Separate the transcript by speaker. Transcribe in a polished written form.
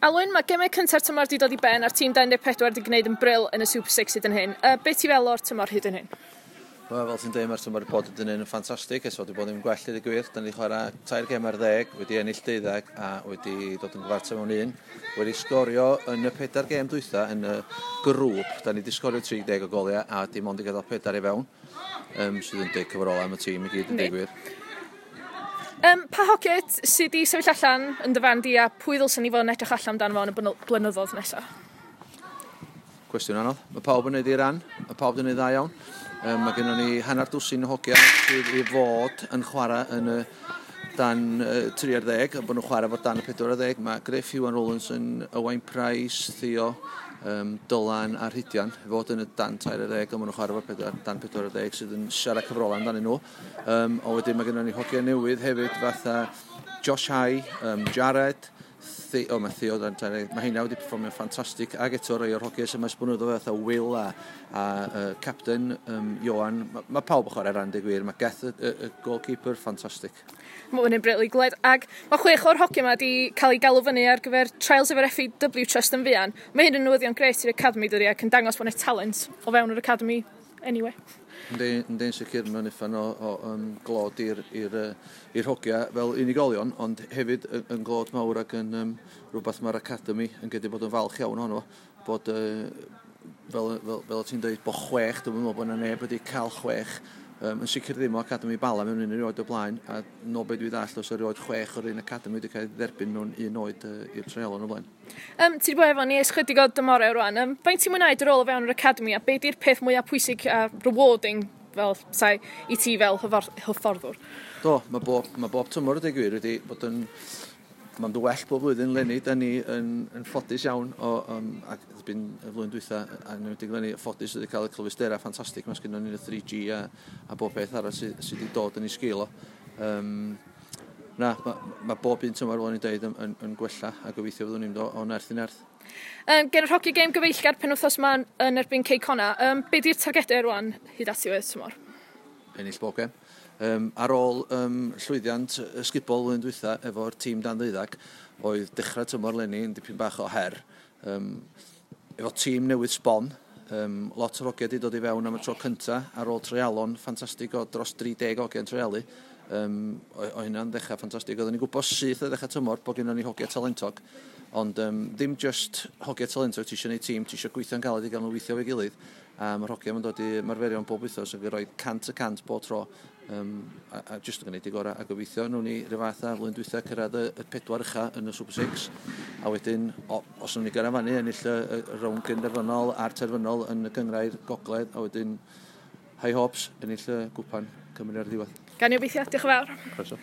Speaker 1: Alwyn, mae gemau cynta'r tymor wedi dod i ben a'r tîm 24 wedi gwneud yn bril yn y Super 6 hyd yn hyn. Be ti fel o'r tymor hyd yn hyn?
Speaker 2: Wel, fel ti'n dweud, mae'r tymor wedi bod yn hyn yn ffantastig. Ers wedi bod yn gwell i gwir. Da ni wedi chwarae 3 gem ar 10, wedi ennill 12 a wedi dod yn gyfartal mewn un. Wedi sgorio yn y 4 gem dwytha yn y grŵp. Da ni wedi sgorio 30 o goliau a dim ond i gadael 4 i fewn. Sydd yn deg cyfrolau am y tîm i gyd yn dweud gwir.
Speaker 1: Pa hogiau sydd wedi sefyll allan yn dy farn di a pwy ddylswn ni fod yn edrych allan amdano fo yn y blynyddoedd nesaf?
Speaker 2: Cwestiwn anodd. Mae pawb yn neud ei ran. Mae pawb yn neud dda iawn. Mae gennym ni hanner dwsin o hogiau sydd i fod yn chwarae yn y dan 30, a bod nhw'n chwarae fod dan y 40. Mae Griff, Iwan Rowlandson, Owain Price, Theo, Dylan a Rhydian fod yn y dan 30, a maen nhw'n chwarae fod dan 40 sydd yn siarad cyfrolau amdanyn nhw. A wedyn mae gennym ni hogiau newydd hefyd fatha Josh High, Jared, mae Theo dan 30, mae heina wedi perfformio'n ffantastig, ac eto rai o'r hogiau sy'n maes blynyddoedd fatha Will a Captain Johan. Mae pawb yn chwarae ran, dweud gwir. Mae Geth, y goalkeeper, ffantastig.
Speaker 1: Mae hwn yn bril i gled. Ac mae 6 o'r hogiau yma wedi cael ei galw fyny ar gyfer trials efo'r FAW Trust yn fuan. Mae hyn yn newyddion grêt i'r Academy, dydi, ac yn dangos bod yna talent o fewn yr Academy anyway.
Speaker 2: Yndi, sicr, mae'n uffan o glod i'r hogiau fel unigolion, ond hefyd yn glod mawr ac yn rhywbeth mae'r Academy yn gallu bod yn falch iawn ohono, bod fel ti'n dweud, bod 6, dwi'n meddwl bod yna neb wedi cael 6, yn sicr ddim o Academy Bala mewn un erioed o blaen, a no be dwi ddallt os erioed 6 o'r un Academy wedi cael ei dderbyn mewn un oed i'r treialon o blaen.
Speaker 1: Ti wedi bod efo ni ers chydig o dymorau rwan. Faint ti'n mwynhau dy rôl o fewn yr Academy a be di'r peth mwyaf pwysig a rewarding fel sai i ti fel hyfforddwr?
Speaker 2: Do, mae bob tymor y gwir wedi bod yn... Mae'n dod well bob blwyddyn leni, da ni yn ffodus iawn o, ac erbyn y flwyddyn dwytha, a yn enwedig leni, ffodus wedi cael y cyfleusterau ffantastig, mae sgynnon ni'n y 3G a bob peth arall sydd wedi dod yn ei sgil o. Na, mae bob un tymor, fel o'n i'n dweud, yn gwella, a gobeithio fyddwn ni'n mynd o nerth i nerth.
Speaker 1: Gen yr hogi gêm gyfeillgar penwythnos yma yn erbyn Cei Connah, be di'r targedau rwan hyd at ddiwedd tymor?
Speaker 2: Ennill bob gêm. Ar ôl llwyddiant ysgubol flwyddyn dwytha efo'r tîm dan 12, oedd dechrau tymor leni yn dipyn bach o her. Efo tîm newydd sbon, lot o'r hogiau wedi dod i fewn am y tro cynta ar ôl treialon ffantastig o dros 30 hogiau yn treialu. O hynna'n ddechrau ffantastig. Oedden ni'n gwybod syth o ddechrau tymor bod gennym ni hogiau talentog, ond ddim just hogiau talentog, ti eisiau gwneud tîm, ti eisiau gweithio'n galed i gael nhw weithio efo'i gilydd. A mae'r hogiau yn dod i marferion bob wythnos ac yn rhoi 100% bob tro. A just yn gwneud i gorau, a gobeithio nhw'n ni rhyw fath ar flwyddyn dwytha cyrraedd y 4 ucha yn y Super 6, a wedyn os nhw'n ni gyrraedd fyny ennill y rownd gynderfynol a'r terfynol yn y gynghrair gogledd, a wedyn high hopes ennill y gwpan Cymru ar y diwedd.
Speaker 1: Gan i obeithio, diolch yn fawr.
Speaker 2: Croeso.